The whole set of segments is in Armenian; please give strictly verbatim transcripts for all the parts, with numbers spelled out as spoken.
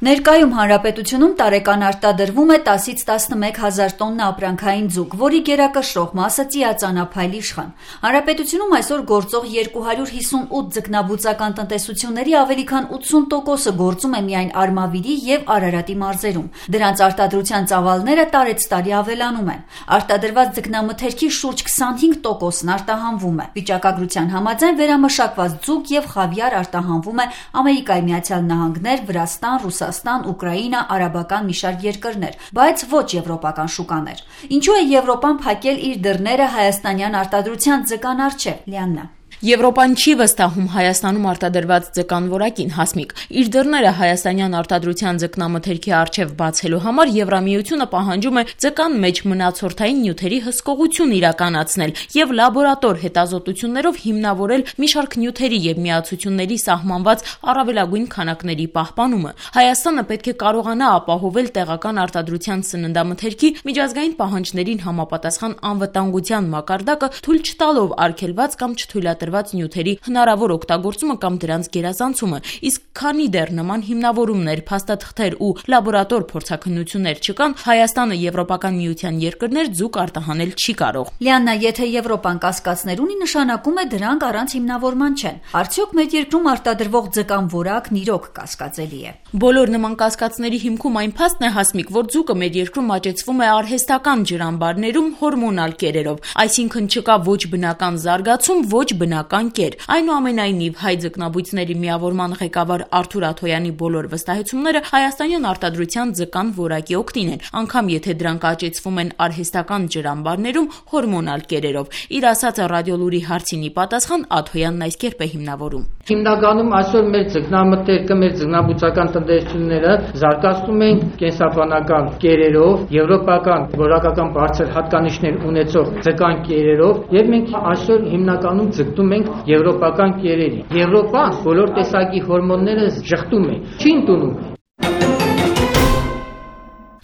Ներկայում հանրապետությունում տարեկան արտադրվում է տասից տասնմեկ հազար տոննա ապրանքային ձուկ, որի գերակշռող մասը ծիածանափայլ իշխան։ Հանրապետությունում այսօր գործող երկու հարյուր հիսունութ ձկնաբուծական տնտեսությունների ավելի քան ութսուն տոկոսը գործում է միայն Արմավիրի եւ Արարատի մարզերում։ Դրանց արտադրության ծավալները տարեցտարի ավելանում են։ Արտադրված ձկնամթերքի շուրջ քսանհինգ տոկոսն արտահանվում է։ Վիճակագրության համաձայն վերամշակված ձուկ եւ խավիար արտահանվում է Ամերիկայի Միացյալ Նահանգներ, Վրաստան, Ռուսաստան, Ուկրաինա, արաբական մի շարք երկրներ, բայց ոչ եվրոպական շուկաներ։ Ինչու է Եվրոպան փակել իր դռները հայաստանյան արտադրության ձկան առջև, Լիաննա։ Եվրոպան չի վստահում Հայաստանում արտադրված ձկան որակին, Հասմիկ։ Իր դռները հայաստանյան արտադրության ձկնամթերքի առջև բացելու համար Եվրամիությունը պահանջում է ձկան մեջ մնացորդային նյութերի հսկողություն իրականացնել եւ լաբորատոր հետազոտություններով հիմնավորել մի շարք նյութերի եւ միացությունների սահմանված առավելագույն քանակների պահպանումը։ Հայաստանը պետք է կարողանա ապահովել տեղական արտադրության սննդամթերքի միջազգային պահանջներին համապատասխան անվտանգության մակարդակը, թույլ չտալով արգելված կամ չթույլատրված նյութերի հնարավոր օգտագործումը կամ դրանց գերազանցումը, իսկ քանի դեռ նման հիմնավորումներ, փաստաթղթեր ու լաբորատոր փորձաքննություններ չկան, Հայաստանը Եվրոպական միության երկրներ ձուկ արտահանել չի կարող։ Լիաննա, եթե Եվրոպան կասկածներ ունի, նշանակում է դրանք առանց հիմնավորման չեն։ Արդյոք մեր երկրում արտադրվող ձկան որակն իրոք կասկածելի է։ Բոլոր նման կասկածների հիմքում այն փաստն է, Հասմիկ, որ ձուկը մեր երկրում աճեցվում է արհեստական ջրամբարներում հորմոնալ կերերով, այսինքն չկա ոչ բնական զարգացում, ոչ բնական կեր։ Այնուամենայնիվ, հայ ձկնաբույծների միավորման ղեկավար Արթուր Աթոյանի բոլոր վստահեցումները հայաստանյան արտադրության ձկան որակի օգտին են, անգամ եթե դրանք աճեցվում են արհեստական ջրամբարներում հորմոնալ կերերով։ Իր ասածը Ռադիոլուրի հարցին ի պատասխան Աթոյանն այսքերպ է հիմնավորում։ Հիմնականում այսօր մեր ձկնամթերքը, մեր ձկնաբուծական տնտեսությունները զարգացնում են կենսաբանական կերերով, եվրոպական որակական բարձր հատկանիշներ ունեցող ձկան կերերով, եւ մենք այսօր հիմնականում ձգտում ենք եվրոպական կերերի։ Եվրոպան բոլոր տեսակի հորմոնները շղթում է, չի ընդունում։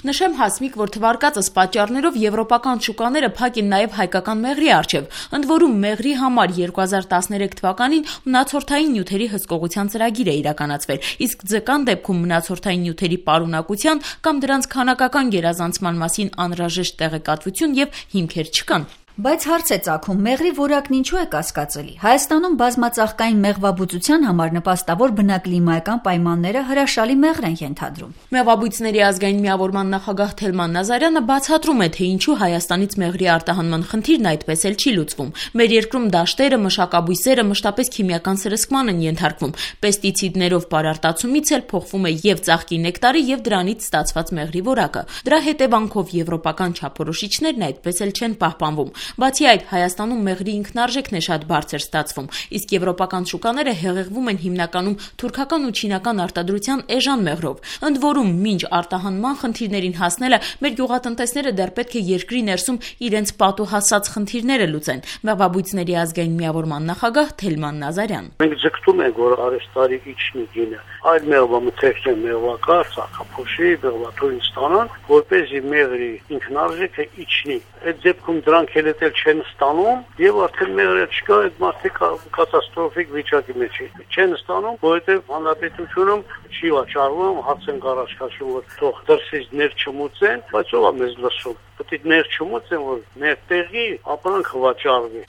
Նշեմ, Հասմիկ, որ թվարկածս պատճառներով եվրոպական շուկաները փակ են նաև հայկական մեղրի առջև։ Ընդ որում, մեղրի համար երկու հազար տասներեք թվականին մնացորդային նյութերի հսկողության ծրագիր է իրականացվել, իսկ ձկան դեպքում մնացորդային նյութերի պարունակության կամ դրանց քանակական գերազանցման մասին անհրաժեշտ տեղեկատվություն եւ հիմքեր չկան։ Բայց հարց է ծագում, մեղրի որակն ինչու է կասկածելի։ Հայաստանում բազմածաղկային մեղվաբուծության համար նպաստավոր բնակլիմայական պայմանները հրաշալի մեղր են ենթադրում։ Մեղվաբույծների ազգային միավորման նախագահ Թելման Նազարյանը բացատրում է, թե ինչու Հայաստանից մեղրի արտահանման խնդիրն այդպես էլ չի լուծվում։ Մեր երկրում դաշտերը, մշակաբույսերը մշտապես քիմիական սրսկման են ենթարկվում։ Պեստիցիդներով պարարտացումից էլ փոխվում է եւ ծաղկի նեկտարի եւ դրանից ստացված մեղրի որակը։ Դրա հետևանքով եվրոպական չափորոշիչներն այդպես էլ չեն պահպանվում։ Բացի այդ, Հայաստանում մեղրի ինքնարժեքն է շատ բարձր ստացվում, իսկ եվրոպական շուկաները հեղեղվում են հիմնականում թուրքական ու չինական արտադրության էժան մեղրով։ Ընդ որում, մինչ արտահանման խնդիրներին հասնելը մեր գյուղատնտեսները դեռ պետք է երկրի ներսում իրենց պատուհասած խնդիրները լուծեն։ Մեղվաբույծների ազգային միավորման նախագահ Թելման Նազարյան։ Մենք ձգտում ենք, որ արհեստարի իջնի գինը, այլ մեղվամթերքի մեղվակար, ծաղկափոշի, մեղվաթորին ստանան, որպեսզի մեղրի ինքնարժեքը իջնի։ Այդ դեպքում դրանք էլ չեն ստանում եւ արդեն մեղրը չկա, այդ մարդիկ կատաստրոֆիկ վիճակի մեջ չեն ստանում, որովհետեւ հանրապետությունում չի վաճառվում, հարց են առաջ քաշում, որ թող դրսից ներ չմուծեն, բայց ով է մեզ լսում։ Պետք է ներ չմուծեն, որ մեր տեղի ապրանքը վաճառվի։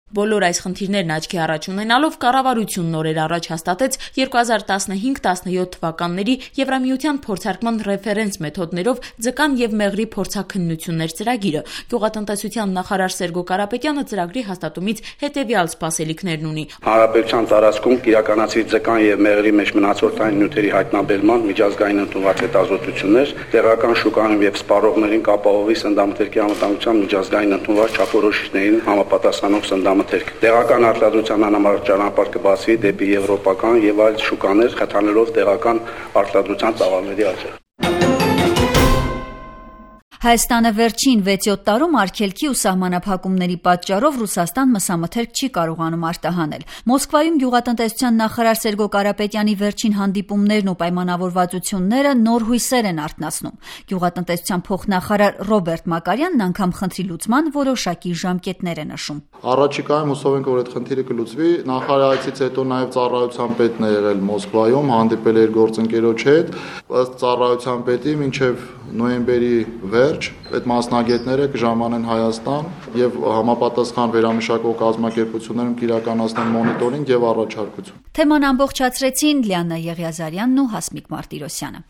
Բոլոր այս խնդիրներն աչքի առաջ ունենալով կառավարությունն օրեր առաջ հաստատեց երկու հազար տասնհինգ տասնյոթ թվականների Եվրամիության փորձարկման ռեֆերենս մեթոդներով ձկան եւ մեղրի փորձաքննություններ ծրագիրը։ Գյուղատնտեսության նախարար Սերգո Կարապետյանը ծրագրի հաստատումից հետեւյալ սպասելիքներն ունի։ Հանրապետության տարածքում կիրականացվի ձկան եւ մեղրի մեջ մնացորդային նյութերի հայտնաբերման միջազգային ընդունված հետազոտություններ, տեղական շուկայում եւ սպառողներին կապահովի սննդամթերքի անվտանգության միջազգային ընդունված չափորոշիչներին համապատասխանող սննդամթերք Տեղական արտադրության անհամար ճանապարհ կբացվի դեպի եվրոպական եւ այլ շուկաներ, խթանելով տեղական արտադրության ծավալների աճը։ Հայաստանը վերջին վեց-յոթ տարում արգելքի ու սահմանափակումների պատճառով Ռուսաստան մսամթերք չի կարողանում արտահանել։ Մոսկվայում գյուղատնտեսության նախարար Սերգո Կարապետյանի վերջին հանդիպումներն ու պայմանավորվածությունները նոր հույսեր են արթնացնում։ Գյուղատնտեսության փոխնախարար Ռոբերտ Մակարյանն անգամ խնդրի լուծման որոշակի ժամկետներ է նշում։ Առաջիկայում հուսով ենք, որ այդ խնդիրը կլուծվի։ Նախարարից հետո նաև ծառայության պետն է եղել Մոսկվայում, հանդիպել էր գործընկերոջ հետ, ըստ ծառայության պետի մինչև նոյեմբերի վերջ այդ մասնագետները կժամանեն Հայաստան եւ համապատասխան վերամշակող կազմակերպություններում կիրականացնեն մոնիտորինգ եւ առաջարկություն։ Թեման ամբողջացրեցին Լիաննա Եղիազարյանն ու Հասմիկ Մարտիրոսյանը։